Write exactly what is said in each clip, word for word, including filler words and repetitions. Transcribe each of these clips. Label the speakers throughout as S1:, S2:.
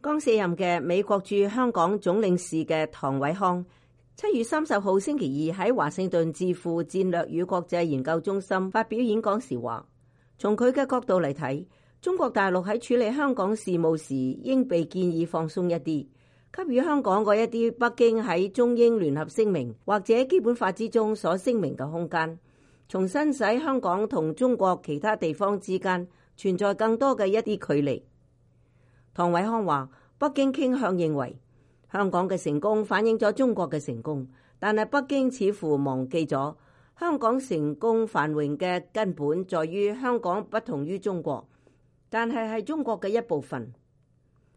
S1: 剛卸任嘅美國駐香港總領事嘅唐偉康，七月三十號星期二喺華盛頓智庫戰略與國際研究中心發表演講時話，從佢嘅角度嚟睇，中國大陸喺處理香港事務時應被建議放鬆一啲，給予香港嗰一啲北京喺中英聯合聲明或者基本法之中所聲明嘅空間，重新使香港同中國其他地方之間存在更多嘅一啲距離。唐偉康話，北京傾向認為香港嘅成功反映咗中國嘅成功，但係北京似乎忘記咗香港成功繁榮嘅根本在於香港不同於中國，但係係中國嘅一部分。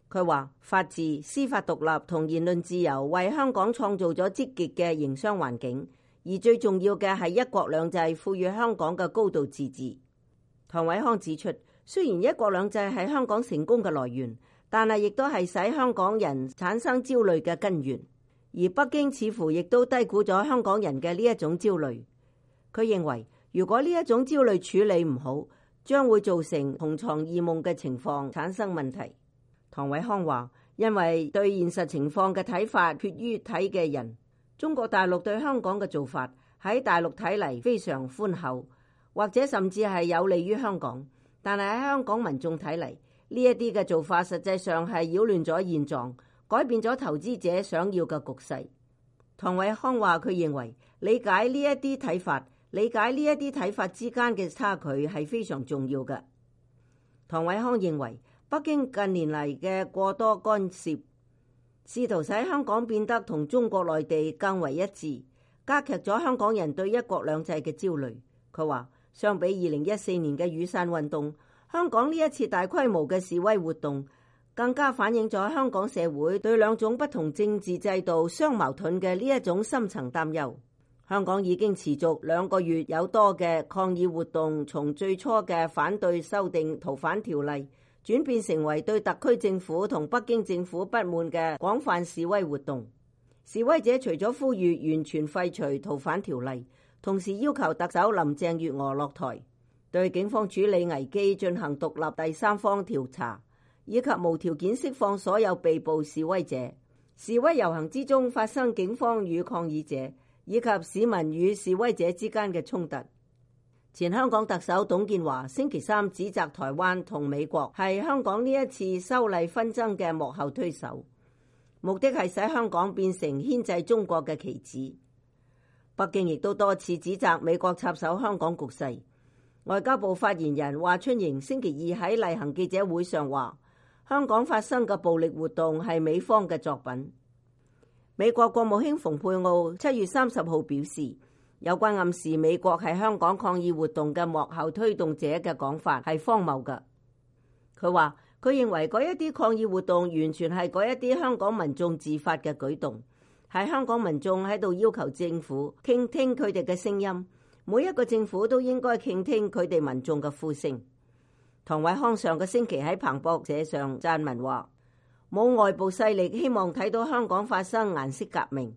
S1: 佢話法治、司法獨立同言論自由為香港創造咗積極嘅營商環境，而最重要嘅係一國兩制賦予香港嘅高度自治。唐偉康指出，雖然一國兩制係香港成功嘅來源，但係亦都係使香港人產生焦慮嘅根源，而北京似乎亦都低估咗香港人嘅呢一種焦慮。佢認為，如果呢一種焦慮處理唔好，將會造成同床異夢嘅情況產生問題。唐偉康話，因為對現實情況嘅睇法決於睇嘅人，中國大陸對香港嘅做法喺大陸睇嚟非常寬厚，或者甚至係有利於香港，但係喺香港民眾睇嚟，呢一啲嘅做法實際上係擾亂咗現狀，改變咗投資者想要嘅局勢。唐偉康話，佢認為理解呢一啲睇法，理解呢一啲睇法之間嘅差距係非常重要嘅。唐偉康認為，北京近年嚟嘅過多干涉，試圖使香港變得同中國內地更為一致，加劇咗香港人對一國兩制嘅焦慮。佢話，相比二零一四年嘅雨傘運動，香港呢一次大規模嘅示威活動，更加反映咗香港社會對兩種不同政治制度相矛盾嘅呢一種深層擔憂。香港已經持續兩個月有多嘅抗議活動，從最初嘅反對修訂逃犯條例，轉變成為對特區政府同北京政府不滿嘅廣泛示威活動。示威者除咗呼籲完全廢除逃犯條例，同時要求特首林鄭月娥落台，對警方處理危機進行獨立第三方調查，以及無條件釋放所有被捕示威者。示威遊行之中發生警方與抗議者以及市民與示威者之間嘅衝突。前香港特首董建華星期三指責台灣同美國係香港呢一次修例紛爭嘅幕後推手，目的係使香港變成牽制中國嘅棋子。北京亦都多次指責美國插手香港局勢。外交部發言人華春瑩星期二喺例行記者會上話，香港發生嘅暴力活動係美方嘅作品。美國國務卿蓬佩奧七月三十號表示，有關暗示美國係香港抗議活動嘅幕後推動者嘅講法係荒謬嘅。佢話，佢認為嗰一啲抗議活動完全係嗰一啲香港民眾自發嘅舉動，係香港民眾喺度要求政府傾聽佢哋嘅聲音，每一個政府都應該傾聽佢哋民眾嘅呼聲。唐偉康上個星期喺彭博社上撰文話，冇外部勢力希望睇到香港發生顏色革命。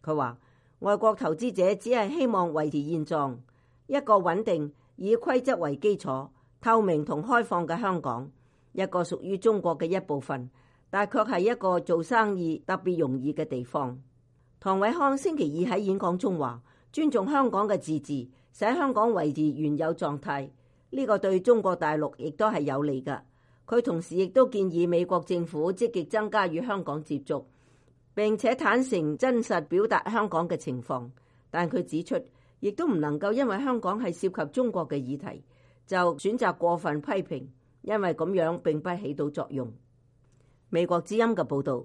S1: 佢話，外國投資者只係希望維持現狀，一個穩定以規則為基礎、透明同開放嘅香港，一個屬於中國嘅一部分，但卻係一個做生意特別容易嘅地方。唐偉康星期二喺演講中話，尊重香港嘅自治，使香港維持原有狀態，呢個對中國大陸亦都係有利㗎。佢同時亦都建議美國政府積極增加與香港接觸，並且坦誠真實表達香港嘅情況。但佢指出，亦都唔能夠因為香港係涉及中國嘅議題，就選擇過分批評，因為咁樣並不起到作用。美國之音嘅報導。